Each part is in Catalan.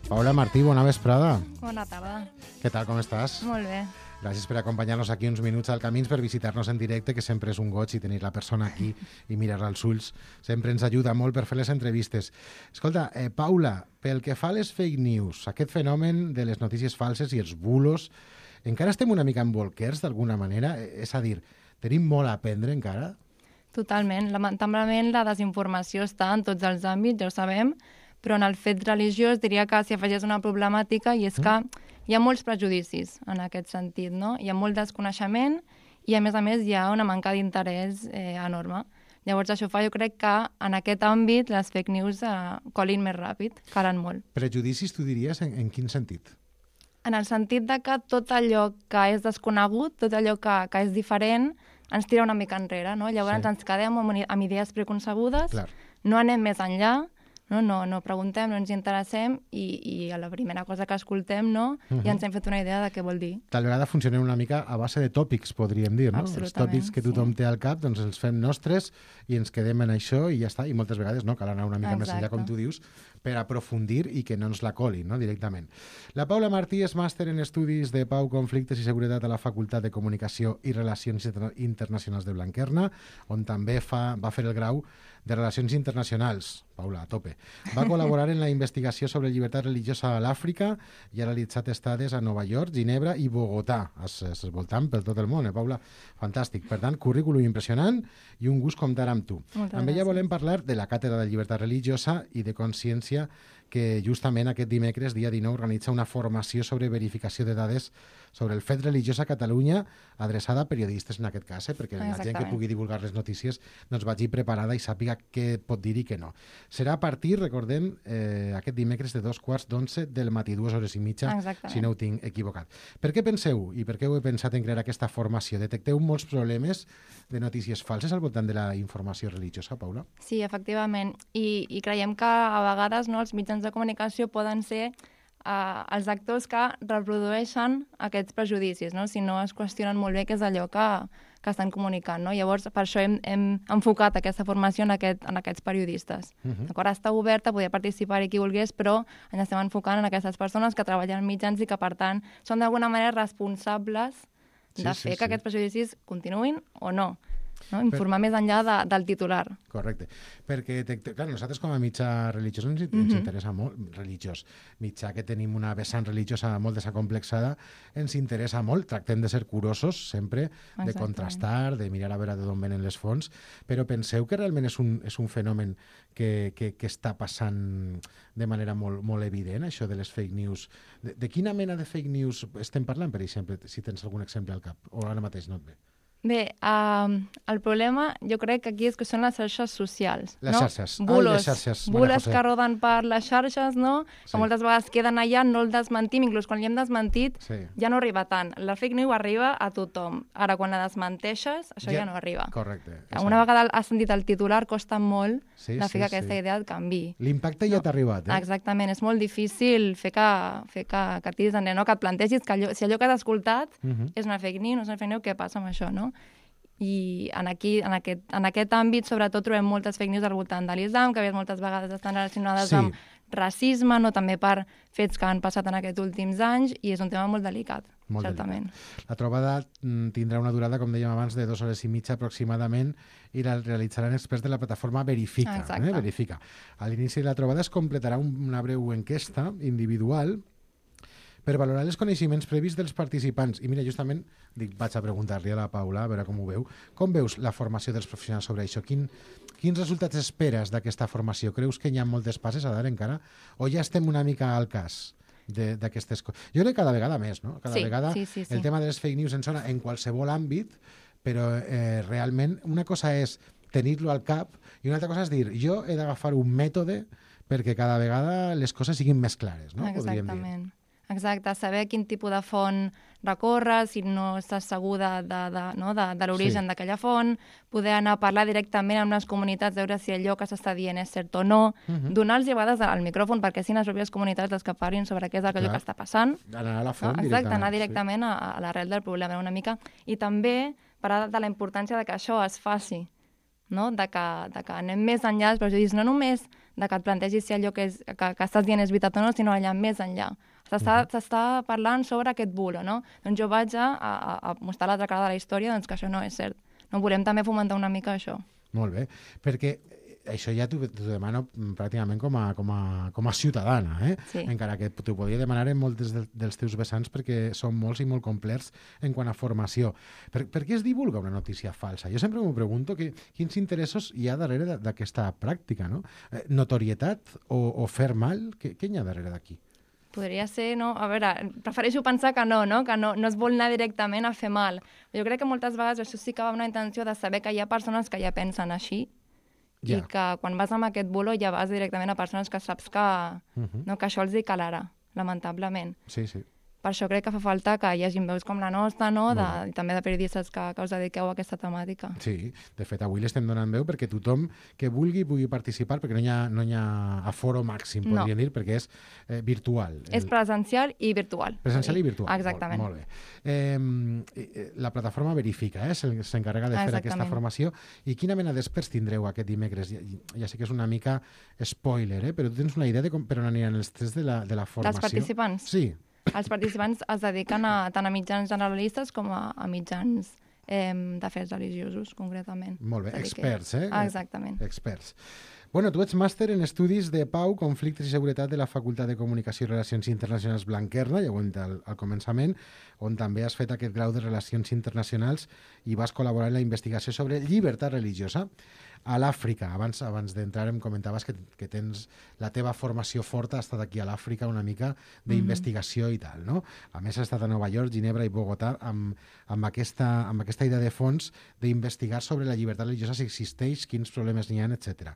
Paula Martí, bona vesprada. Bona tarda. Què tal, com estàs? Molt bé. Gràcies per acompanyar-nos aquí uns minuts al Camins, per visitar-nos en directe, que sempre és un goig, i tenir la persona aquí i mirar-la als ulls sempre ens ajuda molt per fer les entrevistes. Escolta, Paula, pel que fa a les fake news, aquest fenomen de les notícies falses i els bulos, encara estem una mica embolquers d'alguna manera? És a dir, tenim molt a aprendre encara? Totalment. Lamentablement la desinformació està en tots els àmbits, ja ho sabem, però en el fet religiós diria que s'hi afegeix una problemàtica, i és que hi ha molts prejudicis en aquest sentit, no? Hi ha molt desconeixement i, a més, hi ha una manca d'interès enorme. Llavors, això fa, jo crec que en aquest àmbit les fake news colin més ràpid, calen molt. Prejudicis, tu diries, en quin sentit? En el sentit de que tot allò que és desconegut, tot allò que és diferent, ens tira una mica enrere, no? Llavors ens quedem amb idees preconcebudes, no anem més enllà, no preguntem, no ens interessem, i a la primera cosa que escoltem ja ens hem fet una idea de què vol dir. Tal vegada funcionen una mica a base de tòpics, podríem dir, no? Els tòpics que tothom té al cap, doncs els fem nostres i ens quedem en això i ja està. I moltes vegades cal anar una mica més enllà, com tu dius, per aprofundir i que no ens la colin, no? Directament. La Paula Martí és màster en Estudis de Pau, Conflictes i Seguretat a la Facultat de Comunicació i Relacions Internacionals de Blanquerna, on també va fer el grau de Relacions Internacionals. Paula, a tope. Va col·laborar en la investigació sobre llibertat religiosa a l'Àfrica i ha realitzat estades a Nova York, Ginebra i Bogotà. Es voltant per tot el món, Paula? Fantàstic. Per tant, currículum impressionant i un gust comptar amb tu. Amb ella volem parlar de la Càtedra de Llibertat Religiosa i de Consciència, que justament aquest dimecres, dia 19, organitza una formació sobre verificació de dades sobre el fet religiós a Catalunya, adreçada a periodistes en aquest cas, perquè la gent que pugui divulgar les notícies doncs vagi preparada i sàpiga què pot dir i què no. Serà a partir, recordem, aquest dimecres de 11:15 del matí, 2:30, si no ho tinc equivocat. Per què penseu, i per què heu pensat en crear aquesta formació? Detecteu molts problemes de notícies falses al voltant de la informació religiosa, Paula? Sí, efectivament. I creiem que a vegades els mitjans de comunicació poden ser els actors que reprodueixen aquests prejudicis, si no es qüestionen molt bé què és allò que estan comunicant. Llavors, per això hem enfocat aquesta formació en aquests periodistes. Està oberta, podia participar-hi qui volgués, però ens estem enfocant en aquestes persones que treballen en mitjans i que, per tant, són d'alguna manera responsables de fer que aquests prejudicis continuïn o no. Informar més enllà del titular. Correcte. Perquè, clar, nosaltres com a mitjà religiós ens interessa molt, mitjà que tenim una vessant religiosa molt desacomplexada, ens interessa molt, tractem de ser curosos sempre, de contrastar, de mirar a veure d'on venen les fonts, però penseu que realment és un fenomen que està passant de manera molt evident, això de les fake news. De quina mena de fake news estem parlant, per exemple, si tens algun exemple al cap, o ara mateix no et ve? Bé, el problema jo crec que aquí és que són les xarxes socials. Les xarxes. Bulos que roden per les xarxes, que moltes vegades queden allà, no el desmentim, inclús quan li hem desmentit ja no arriba tant. La fake news arriba a tothom. Ara, quan la desmenteixes, això ja no arriba. Correcte. Una vegada has sentit el titular, costa molt de fer que aquesta idea et canviï. L'impacte ja t'ha arribat, Exactament. És molt difícil fer que tiris enrere, que et plantegis que si allò que has escoltat és una fake news, no és una fake news, què passa amb això, no? I en aquest àmbit sobretot trobem moltes fake news al voltant de l'islam, que moltes vegades estan relacionades amb racisme, també per fets que han passat en aquests últims anys, i és un tema molt delicat, certament. La trobada tindrà una durada, com dèiem abans, de 2 hores i mitja aproximadament, i la realitzaran experts de la plataforma Verifica. Verifica. A l'inici de la trobada es completarà una breu enquesta individual per valorar els coneixements previs dels participants. I mira, justament vaig a preguntar-li a la Paula, a veure com ho veu. Com veus la formació dels professionals sobre això? Quins resultats esperes d'aquesta formació? Creus que hi ha moltes passes a dar encara? O ja estem una mica al cas d'aquestes coses? Jo crec que cada vegada més, no? Cada vegada el tema de les fake news ens sona en qualsevol àmbit, però realment una cosa és tenir-lo al cap i una altra cosa és dir, jo he d'agafar un mètode perquè cada vegada les coses siguin més clares, no? Exactament. Exacte, saber quin tipus de font recórrer, si no estàs segur de l'origen d'aquella font, poder anar a parlar directament amb les comunitats, veure si allò que s'està dient és cert o no, donar-los a vegades al micròfon perquè siguin les pròpies comunitats les que parlin sobre què és allò que està passant. Anar a la font directament. Exacte, anar directament a l'arrel del problema una mica. I també parlar de la importància de que això es faci, no? De que anem més enllà dels prejudicis, no només de que et plantegis si allò que estàs dient és veritat o no, sinó allà més enllà. S'està parlant sobre aquest bulo, no? Doncs jo vaig a mostrar l'altra cara de la història, doncs que això no és cert. No volem també fomentar una mica això. Molt bé, perquè això ja t'ho demano pràcticament com a ciutadana, Sí. Encara que t'ho podria demanar en molts dels teus vessants perquè són molts i molt complets en quant a formació. Per què es divulga una notícia falsa? Jo sempre m'ho pregunto quins interessos hi ha darrere d'aquesta pràctica, no? Notorietat o fer mal? Què hi ha darrere d'aquí? Podria ser, no? A veure, prefereixo pensar que no es vol anar directament a fer mal. Jo crec que moltes vegades això sí que va amb una intenció de saber que hi ha persones que ja pensen així i que quan vas amb aquest bulo ja vas directament a persones que saps que, no, que això els hi calarà, lamentablement. Sí, sí. Per això crec que fa falta que hi hagi veus com la nostra, no? I també de periodistes que us dediqueu a aquesta temàtica. Sí, de fet, avui l'estem donant veu perquè tothom que vulgui pugui participar, perquè no hi ha aforo màxim, podríem dir, perquè és virtual. És presencial i virtual. Presencial i virtual. Exactament. Molt bé. La plataforma Verifica s'encarrega de fer aquesta formació. I quina mena d'experts tindreu aquest dimecres? Ja sé que és una mica spoiler, però tu tens una idea de per on aniran els tests de la formació? Dels participants? Sí. Els participants es dediquen tant a mitjans generalistes com a mitjans d'afers religiosos, concretament. Molt bé, experts, Exactament. Experts. Bueno, tu ets màster en Estudis de Pau, Conflictes i Seguretat de la Facultat de Comunicació i Relacions Internacionals Blanquerna, ja ho hem dit al començament, on també has fet aquest grau de Relacions Internacionals i vas col·laborar en la investigació sobre llibertat religiosa a l'Àfrica. Abans d'entrar em comentaves que tens la teva formació forta, ha estat aquí a l'Àfrica una mica d'investigació i tal, no? A més, has estat a Nova York, Ginebra i Bogotà amb aquesta idea de fons d'investigar sobre la llibertat religiosa, si existeix, quins problemes n'hi ha, etc.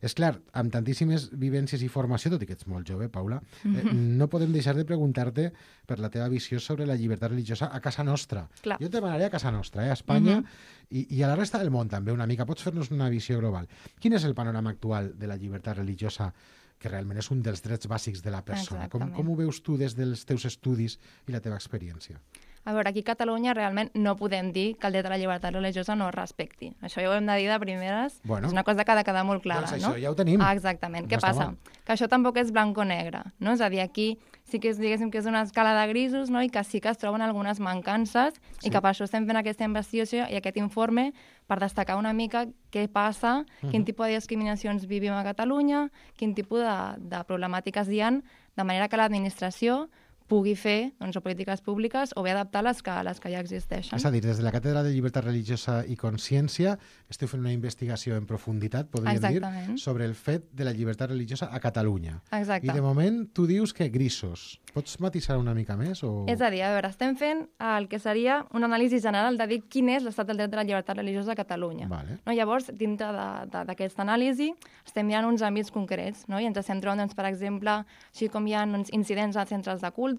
És clar, amb tantíssimes vivències i formació, tot i que ets molt jove, Paula, no podem deixar de preguntar-te per la teva visió sobre la llibertat religiosa a casa nostra. Clar. Jo et demanaré a casa nostra, a Espanya, i a la resta del món també una mica. Pots fer-nos una visió global. Quin és el panorama actual de la llibertat religiosa, que realment és un dels drets bàsics de la persona? Com ho veus tu des dels teus estudis i la teva experiència? A veure, aquí a Catalunya realment no podem dir que el dret a la llibertat religiosa no es respecti. Això ja ho hem de dir de primeres. Bueno, és una cosa que ha de quedar molt clara, doncs no? això ja ho tenim. Exactament. Què passa? Que això tampoc és blanc o negre, no? És a dir, aquí sí que diguéssim que és una escala de grisos, no? I que sí que es troben algunes mancances i que per això estem fent aquesta investigació i aquest informe per destacar una mica què passa, quin tipus de discriminacions vivim a Catalunya, quin tipus de problemàtiques hi ha, de manera que l'administració pugui fer polítiques públiques o bé adaptar les que ja existeixen. És a dir, des de la Càtedra de Llibertat Religiosa i Consciència esteu fent una investigació en profunditat, podríem dir, sobre el fet de la llibertat religiosa a Catalunya. Exacte. I de moment tu dius que grisos. Pots matisar una mica més? És a dir, a veure, estem fent el que seria una anàlisi general de dir quin és l'estat del dret de la llibertat religiosa a Catalunya. Vale. No? Llavors, dintre d'aquesta anàlisi, estem mirant uns àmbits concrets, no? I ens estem trobant, per exemple, així com hi ha incidents a centres de culte,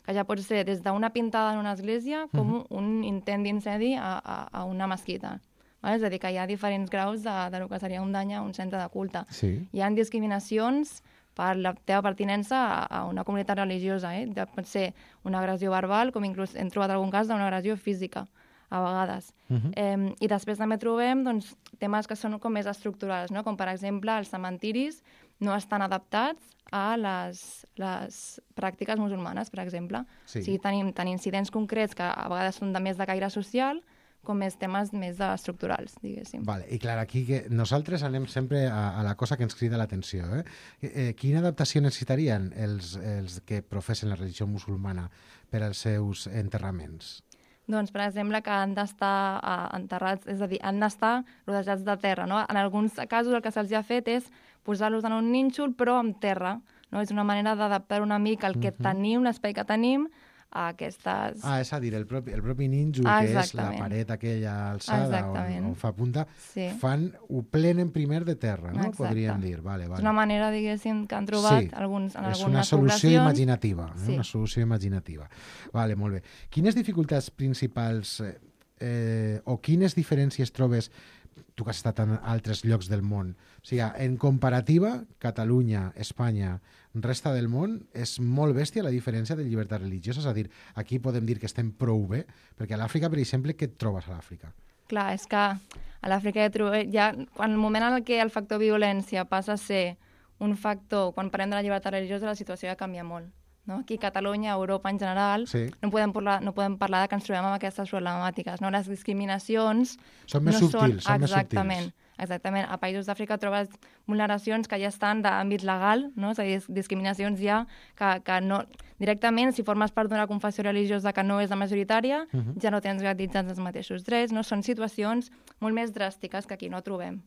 que ja pot ser des d'una pintada en una església com un intent d'incendi a una mesquita. Vale? És a dir, que hi ha diferents graus del que seria un dany a un centre de culte. Sí. Hi ha discriminacions per la teva pertinença a una comunitat religiosa. Pot ser una agressió verbal, com inclús hem trobat algun cas d'una agressió física, a vegades. I després també trobem temes que són com més estructurals, no? Com per exemple els cementiris no estan adaptats a les pràctiques musulmanes, per exemple. Sí. O sigui, tenim incidents concrets que a vegades són més de caire social, com més temes més estructurals, diguéssim. Vale. I clar, aquí que nosaltres anem sempre a la cosa que ens crida l'atenció. Quina adaptació necessitarien els que professen la religió musulmana per als seus enterraments? Doncs, per exemple, que han d'estar enterrats, és a dir, han d'estar rodejats de terra, no? En alguns casos el que se'ls ha fet és posar-los en un nínxol, però amb terra, no? És una manera d'adaptar una mica el que tenim, l'espai que tenim, a aquestes... És a dir, el propi nínxol, que és la paret aquella alçada on fa punta, ho plenen primer de terra, no? Exacte. Podríem dir. Vale. És una manera, diguéssim, que han trobat en algunes poblacions. És una solució imaginativa. Una solució imaginativa. Vale, molt bé. Quines dificultats principals o quines diferències trobes, tu que has estat en altres llocs del món, o sigui, en comparativa, Catalunya, Espanya, resta del món, és molt bèstia la diferència de llibertat religiosa, és a dir, aquí podem dir que estem prou bé, perquè a l'Àfrica, per exemple, què et trobes a l'Àfrica? Clar, és que a l'Àfrica ja en el moment en què el factor violència passa a ser un factor, quan parlem de la llibertat religiosa, la situació ja canvia molt. No? Aquí a Catalunya, a Europa en general, no podem parlar de que ens trobem amb aquestes problemàtiques. No? Les discriminacions són més subtils. Exactament. A països d'Àfrica trobes vulneracions que ja estan d'àmbit legal, no? És a dir, discriminacions ja que no... Directament, si formes part d'una confessió religiosa que no és la majoritària, ja no tens garantitzats els mateixos drets, no? Són situacions molt més dràstiques que aquí no trobem.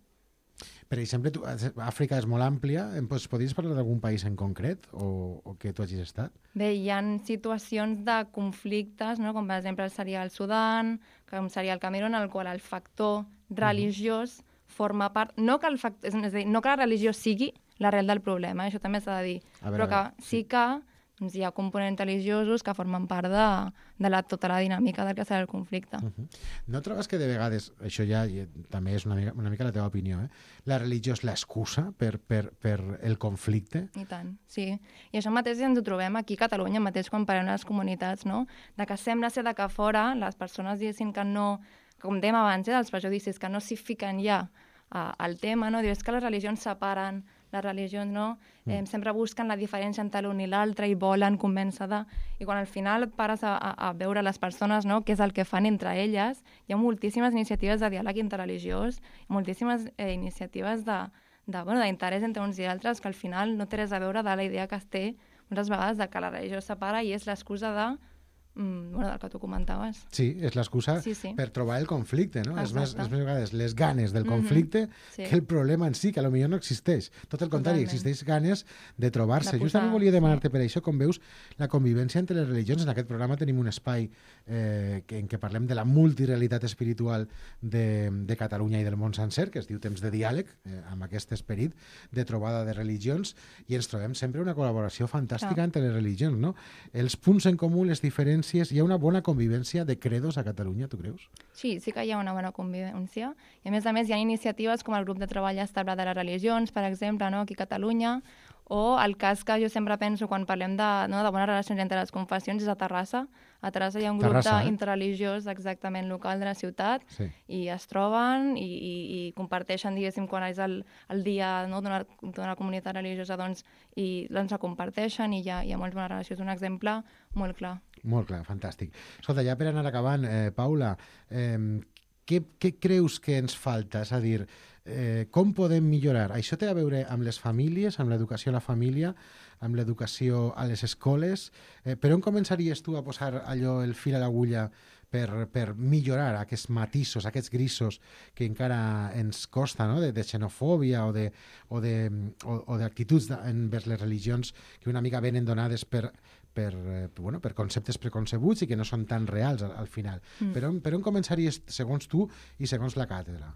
Per exemple, Àfrica és molt àmplia. Podries parlar d'algun país en concret o que tu hagis estat? Bé, hi ha situacions de conflictes, no? Com per exemple seria el Sudan, com seria el Camerun, en el qual el factor religiós forma part... No que la religió sigui l'arrel del problema, això també s'ha de dir, però que sí que hi ha components religiosos que formen part de tota la dinàmica del que serà el conflicte. No trobes que de vegades, això ja també és una mica la teva opinió, la religió és l'excusa per el conflicte? I tant, sí. I això mateix ens ho trobem aquí a Catalunya, mateix quan parlem les comunitats, no? De que sembla ser que fora les persones diguessin que no, com dèiem abans, dels prejudicis, que no s'hi fiquen ja al tema, no? Dius que les religions separen, les religions no, sempre busquen la diferència entre l'un i l'altre i volen convèncer de... I quan al final et pares a veure les persones, no, què és el que fan entre elles, hi ha moltíssimes iniciatives de diàleg interreligiós, moltíssimes iniciatives d'interès entre uns i altres que al final no té res a veure de la idea que es té moltes vegades de que la religió separa i és l'excusa del que tu comentaves. Sí, és l'excusa per trobar el conflicte, no? És més vegades les ganes del conflicte que el problema en si, que potser no existeix. Tot el contrari, existeix ganes de trobar-se. Justament volia demanar-te per això, com veus, la convivència entre les religions. En aquest programa tenim un espai en què parlem de la multirealitat espiritual de Catalunya i del món sencer, que es diu Temps de Diàleg, amb aquest esperit de trobada de religions, i ens trobem sempre una col·laboració fantàstica entre les religions, no? Els punts en comú, les diferències. Hi ha una bona convivència de credos a Catalunya, tu creus? Sí que hi ha una bona convivència. I a més, hi ha iniciatives com el grup de treball estable de les religions, per exemple, no? Aquí a Catalunya, o el cas que jo sempre penso quan parlem de bones relacions entre les confessions és a Terrassa. A Terrassa hi ha un grup interreligiós exactament local de la ciutat i es troben i comparteixen, diguéssim, quan és el dia d'una comunitat religiosa, i la comparteixen i hi ha moltes bones relacions. Un exemple molt clar. Molt clar, fantàstic. Escolta, ja per anar acabant, Paula, què creus que ens falta? És a dir, com podem millorar? Això té a veure amb les famílies, amb l'educació a la família, amb l'educació a les escoles. Per on començaries tu a posar el fil a l'agulla per millorar aquests matisos, aquests grisos que encara ens costa, no? de xenofòbia o d'actituds envers les religions que una mica venen donades per conceptes preconcebuts i que no són tan reals al final. Per on començaries, segons tu i segons la càtedra?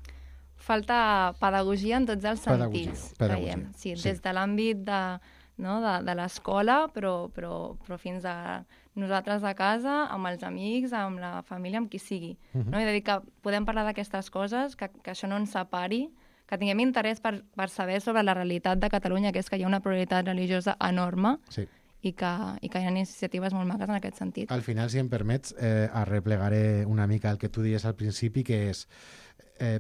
Falta pedagogia en tots els sentits, creiem. Sí, des de l'àmbit de l'escola, però fins a nosaltres a casa, amb els amics, amb la família, amb qui sigui. No? És a dir, que podem parlar d'aquestes coses, que això no ens separi, que tinguem interès per saber sobre la realitat de Catalunya, que és que hi ha una pluralitat religiosa enorme, i que hi ha iniciatives molt maques en aquest sentit. Al final, si em permets, arreplegaré una mica el que tu dies al principi, que és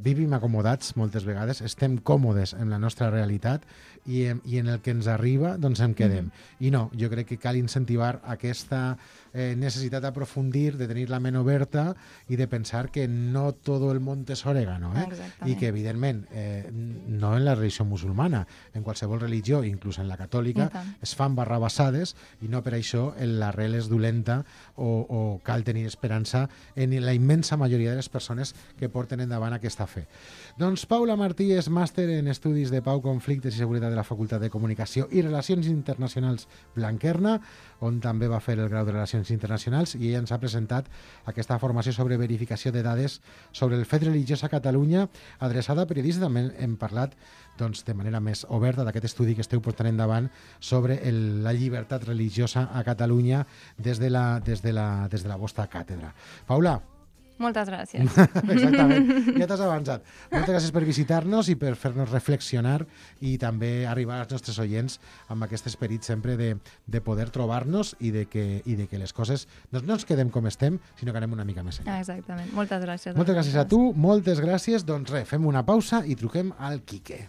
vivim acomodats moltes vegades, estem còmodes en la nostra realitat i en el que ens arriba doncs em quedem. I no, jo crec que cal incentivar aquesta necessitat d'aprofundir, de tenir la ment oberta i de pensar que no tot el món és orégano, i que evidentment no en la religió musulmana, en qualsevol religió, inclús en la catòlica, es fan barrabassades i no per això l'arrel és dolenta o cal tenir esperança en la immensa majoria de les persones que porten endavant aquesta fe. Doncs Paula Martí és màster en Estudis de Pau, Conflictes i Seguretat de la Facultat de Comunicació i Relacions Internacionals Blanquerna, on també va fer el grau de Relacions Internacionals, i ella ens ha presentat aquesta formació sobre verificació de dades sobre el fet religiós a Catalunya, adreçada a periodistes. També hem parlat de manera més oberta d'aquest estudi que esteu portant endavant sobre la llibertat religiosa a Catalunya des de la vostra càtedra. Paula, moltes gràcies. Exactament, ja t'has avançat. Moltes gràcies per visitar-nos i per fer-nos reflexionar i també arribar als nostres oients amb aquest esperit sempre de poder trobar-nos i de que les coses no ens quedem com estem, sinó que anem una mica més enllà. Exactament, moltes gràcies. Moltes gràcies a tu, moltes gràcies. Doncs res, fem una pausa i truquem al Quique.